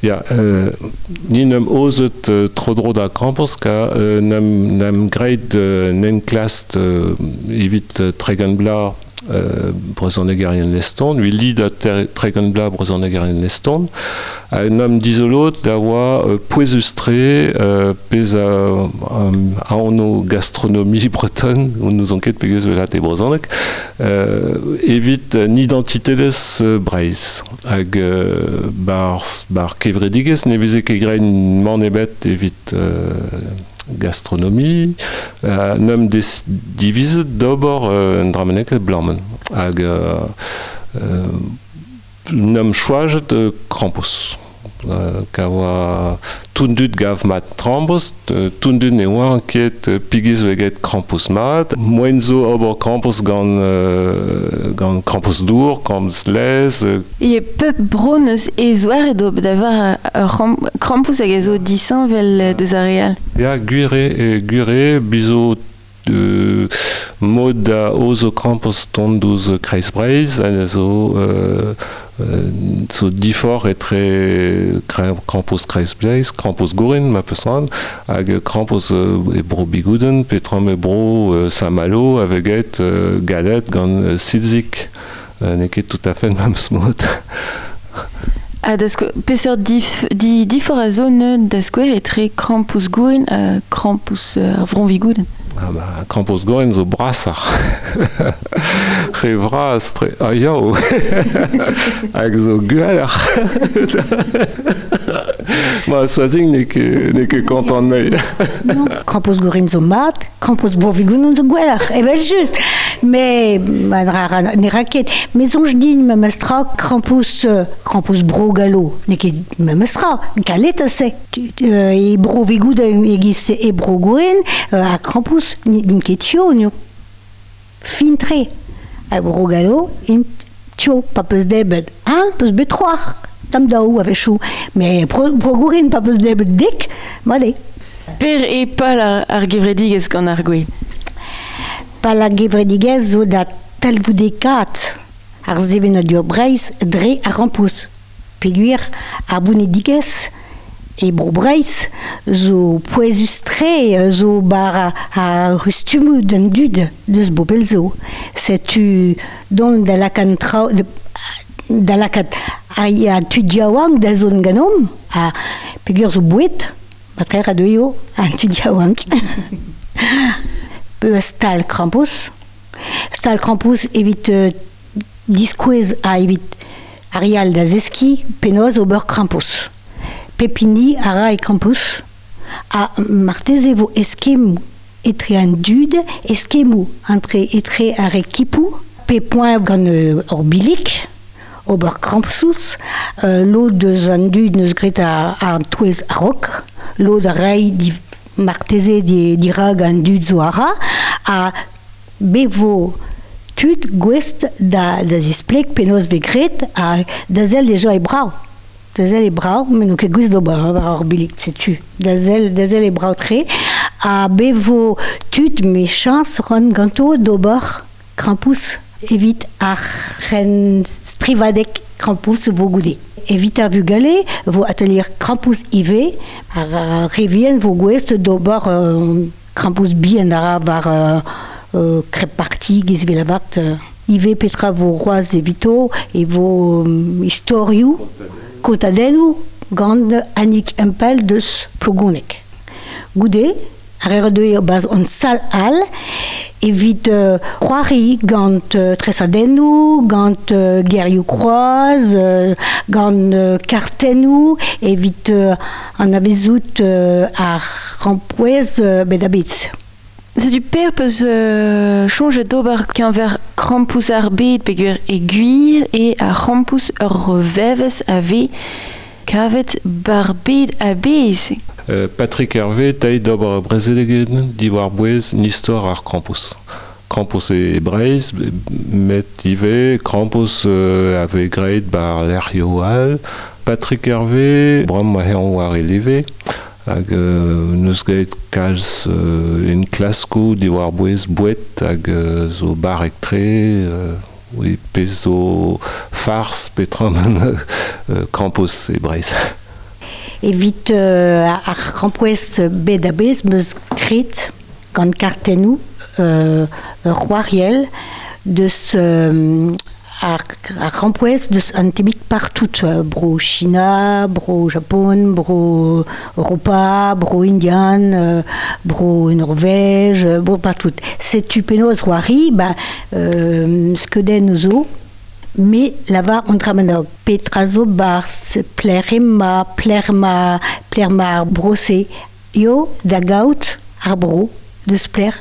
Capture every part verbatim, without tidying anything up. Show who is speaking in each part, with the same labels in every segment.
Speaker 1: Ya, euh, ni n'em ozet euh, tro-dro da Krampus ka euh, n'em, n'em graet euh, n'en klast euh, evit euh, tregont bla euh, brezhonegerien leston, ui li da tregont bla brezhonegerien leston, ha n'em dizolot da oa euh, pouezus-tre euh, pezh a, um, a ono gastronomie bretonne, on nous enquête pegeus velat e brezhoneg, euh, evit un identitelezh euh, Breizh. Hag euh, bar, bar kevredigezh ne veze ket graet mann ebet evit euh, gastronomie, euh, n'em des divizet d'ober euh, un dramenek blammen. Hag euh, euh, n'em choajet euh, Krampus. Euh, ka oa tundut gav mat Krampus, euh, tundut ne oa ket euh, pigiz veget Krampus mat. Moen zo ober Krampus gant, euh, gant Krampus dour, Krampus lez. Euh.
Speaker 2: E pep bro neus e zoare d'ober d'avoir ur Krampus hag a zo disheñvel deus ar re all.
Speaker 1: Ya, gwir eo, gwir eo, bizo euh, mod da ozo Krampus tont douz Kreiz Breizh, a zo, euh, euh, zo difor etre Krampus Kreiz Breizh, Krampus Gourin, ma peus c'hoant, hag Krampus euh, e bro Bigouden, petram e bro euh, Saint-Malo, aveget euh, galet gant euh, Silzik. Euh, n'eo ket tout à fait memes mod.
Speaker 2: Ha da sko-, peseurt dif-, di-, difor a zo neud da skouer etre Krampus Gourin ha Krampus, euh, ar Vro Vigouden?
Speaker 1: Ah bah, Krampus Gourin zo brasoc'h. Re vras tre... Ah yaou. Hag zo gwelloc'h. Ma Soazig n'eo ket, n'eo ket kontant anezhi.
Speaker 3: Non. Krampus Gourin zo mat, Krampus Bro Vigouden zo gwelloc'h, evel just. Mais, ma dra ra, ne ra ket. Mais soñj din memes tra Krampus, euh, Krampus Bro Gallo, n'eo ket memes tra, kalet ase. Tu, tu, euh, e Bro Vigouden egiz e Bro Gourin, euh, ha Krampus n'int ket tio, nio. Fin tre. Ha Bro Gallo, int tio, pa peus debet un, peus bet c'hoar. Tam daou a-wechoù. Mais Bro, Bro Gourin pa peus debet dek, mat eo.
Speaker 2: Per e pal ar, ar gevredigezh gant ar gwez?
Speaker 3: Pal ar gevredigezh zo da talvoudekaat ar sevenadur Breizh dre ar Krampus. Peogwir ar vonedigezh e Bro Breizh zo pouezus-tre, zo bar a, a rustumoù d'an dud deus bopel zo. Setu dont da lakaat traoù, de, da lakaat a, a tud yaouank da zont ganeomp, ha peogwir zo boued, matreer a deuio, an tud yaouank. Pe stal Krampus. Stal Krampus evit, euh, diskouez a evit ar yal da zeski penaos ober Krampus. Pepini a ra e Krampus a marteze vo eskemoù etre an dud, eskemoù entre etre ar ekipoù, pe poent gant, euh, ur bilik, ober Krampus, euh, lod deus an dud neus graet ar, ar touez a-raok, lod a rei di, marteze di, dirag an dud zo a ra, ha bevo tud gouest da, da zispleg penaos vez graet ha da sell deja e brav. Da sell e brav, met n'on ket gouest d'ober, hein, war ar bilik, setu. Da sell, da sell e brav tre, ha bevo tud me chañs ran ganto d'ober Krampus evit ar ren strivadek Krampus vo goude. Evit ar vugale vo atelier Krampus ivez, ar, ar revien vo gouest d'ober, euh, Krampus bihan a ra war, euh, euh, crêpe parti giz velavart, euh, ivez petra vo roaz evito e vo, euh, istorioù kontadennoù gant Annick Empel deus Plogoneg. Goude, ar eo deuet baz on sal all, evit, euh, c'hoari gant, euh, tresadennoù, gant, euh, gerioù kroaz, euh, gant, euh, kartennoù, evit, euh, an avezout, euh, ar rampouez, euh, bet a bet.
Speaker 2: Setu per peus, euh, soñjet d'ober keñver Krampus ar bed peogwir e gwir e ar Krampus ur vevez a vez kavet bar bed a-bezh.
Speaker 1: Euh, Patrick Hervé tailh d'ober brezelegen diwar bouez n'istor ar Krampus. Krampus e Breizh, met ivez Krampus, euh, a vez graet bar lec'hioù all. Patrick Hervé, bremañ ma eñ war e leve, hag, euh, neus graet kalz, euh, en klasko diwar bouez boued hag, euh, zo barrek-tre, euh, oui, pezh zo fars petra euh, Krampus e Breizh.
Speaker 3: Evit euh, ar krampouez bet a bez meus kret gant kartennou euh, ur c'hoariell deus euh, ar, ar krampouez deus an tebik partout, bro China, bro Japon, bro Europa, bro Indian, euh, bro Norvège, bro partout. Setu penaos c'hoari, ba, euh, skeudenn zo, me lavar an dramenog. Petra zo barz, plerema, plerma, plerma ar brose. Yo da gaout ar bro deus pler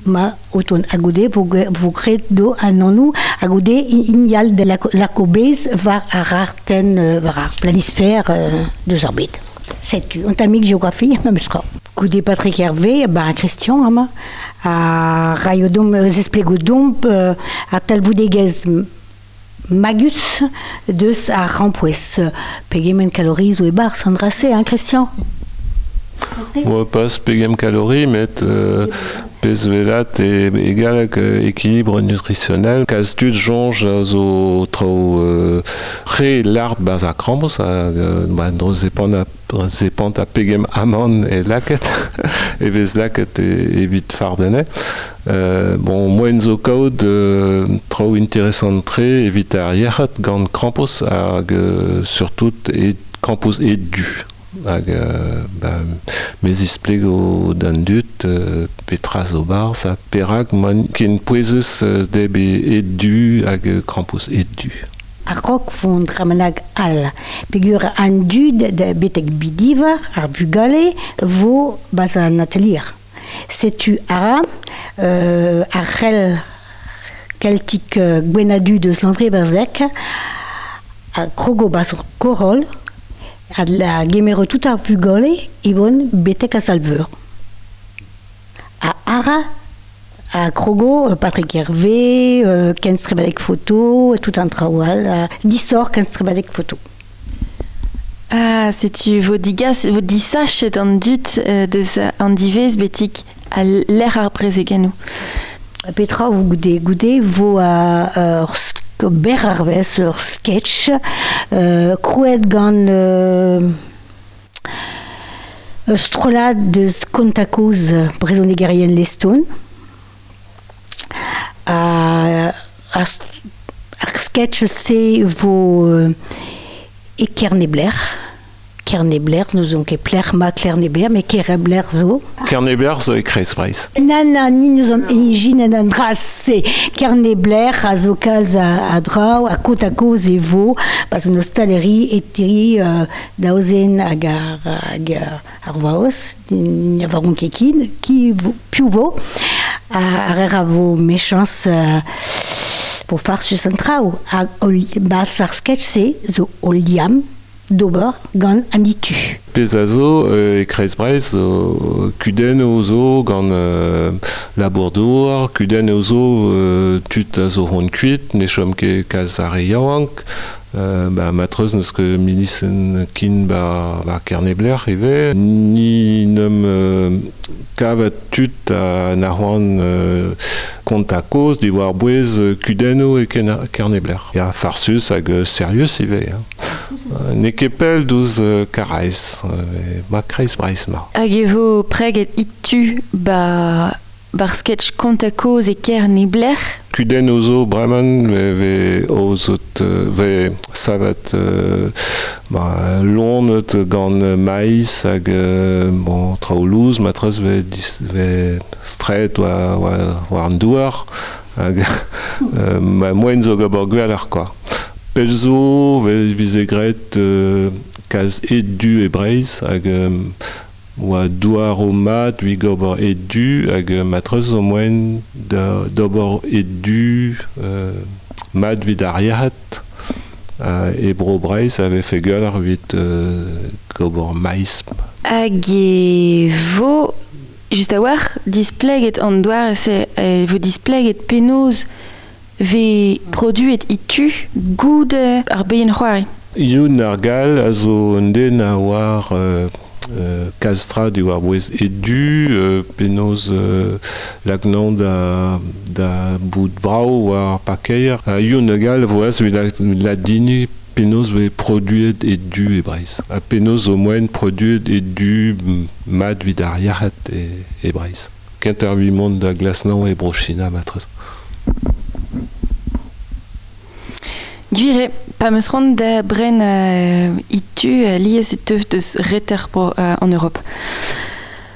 Speaker 3: ma oton a goude vo, vo gret do an annou a goude ignal de la, la kobez war ar arten war ar planisphère euh, deus ar bet. Setu, on tamik géographie, memestra. Goude Patrick Hervé, ben Christian, ama, a raiodom, zesplegodomp, euh, a talvoudegez magus deus ar rampouez. Pegement calories zo e bar, sandrase, hein, Christian?
Speaker 1: Oa pas pegem calories, met euh, pez velat e egal hag équilibre nutritionnel. Kalz tud soñj a zo traoù euh, re lart baz ar krampouezh hag euh, ba, dro zepant a, zepant a pegem amann e laket, e vez laket e, evit fardene. Euh, bon, moen zo kaout euh, traoù interesant tre evit ar yec'hed gant krampouezh hag euh, surtout e krampouezh e du. Hag euh, ba, mez isplego d'an dud euh, petra zo barz ha perak man ken pouezus euh, deb e, e du hag krampouezh e du.
Speaker 3: Ar rok vont dramenag al. Pegur an dud da betek bidivar ar vugale vo baz an atelier. Setu ara euh, ar c'hell keltik euh, gwenadu deus Landré Berzec a krogo baz ar korol a la gemero tout ar vugale ibon betek a salveur. A ara a krogo Patrick Hervé, euh, Ken Strebalek photo, tout un traoual, euh, disor Ken Strebalek photo.
Speaker 2: Ah, setu vo digas, vo disachet an dut euh, deus an divez betik a l'air ar brezegennou.
Speaker 3: Petra vo goude, goude vo a ur sk- ber ar vez, ur sketch, euh, krouet gant euh, ur strollad deus kontakoz brezhonegerien Leston. A, a, ar sketch se vo euh, e Kernebler. Kernebler, nous on ket pler ma Kernebler, mais Kernebler zo.
Speaker 1: Kernebler zo e Kreiz Breizh.
Speaker 3: Nan, nan, ni nous on ijin an an dra se. Kernebler a zo kalz a, a draoù, a kot a koz e vo, pas an ostaleri eteri euh, daozen hag ar, hag ar vaoz, ni a varon ket kin, ki vo, piv vo, a, ar er a vo mechans euh, vo farsus an traoù. A, ol, bas ar sketch se zo o liam d'ober gant an ditu.
Speaker 1: Pez a zo euh, e Kreiz Breizh zo kudenn o zo gant euh, labour-douar, kudenn o zo euh, tud a zo hon kuit, ne chom ket kalz ar re yaouank, euh, ba, matreuz n'eus ket milisenn kin ba, ba Kernebler ivez, ni n'eum euh, kavet tud a na c'hoant euh, kont a koz diwar bouez kudennoù e Kernebler. Ya farsus hag euh, serius ivez. Hein. Euh, n'eo ket pell douz euh, Karaez, euh, ma Kreiz Breizh ma.
Speaker 2: Hag e vo preget itu ba bar sketch kont a koz e Kernebler.
Speaker 1: Kudenn o zo breman ve, ve ozot ve savet euh, ba, lonet gant maïs hag euh, bon, traoù louz matreuz ve, dis, ve stret war, war, war an douar hag euh, ma moen zo gabor gwelloc'h quoi. Pell zo ve vize graet euh, kalz ed du e Breizh hag euh, oa douar o mat vi gober ed du hag matreuz zo moen da d'ober ed du euh, mat vid ar yec'hed euh, e bro Breizh a vefe gwelloc'h evit euh, gober maïs.
Speaker 2: Hag e vo, just a-walc'h, displeget an doare se e vo displeget penaos ve produet itu goude ar beien c'hoari.
Speaker 1: Youn ar Gall a zo un den a oar euh, euh, kalz tra diwar bouez edu, euh, penaos euh, lagnan da, da vout brao war pakeier. Ha Youn ar Gall voaz evit la, ladini penaos vez produet e du e Breizh. Ha penaos zo moaien produet e du mat vid ar yac'hed e, e Breizh. Kent ar mont da glasnañ e Bro-China matrez.
Speaker 2: Gwir eo, pa meus c'hoant da bren uh, itu uh, lies e teuf deus reter bro uh, an Europe.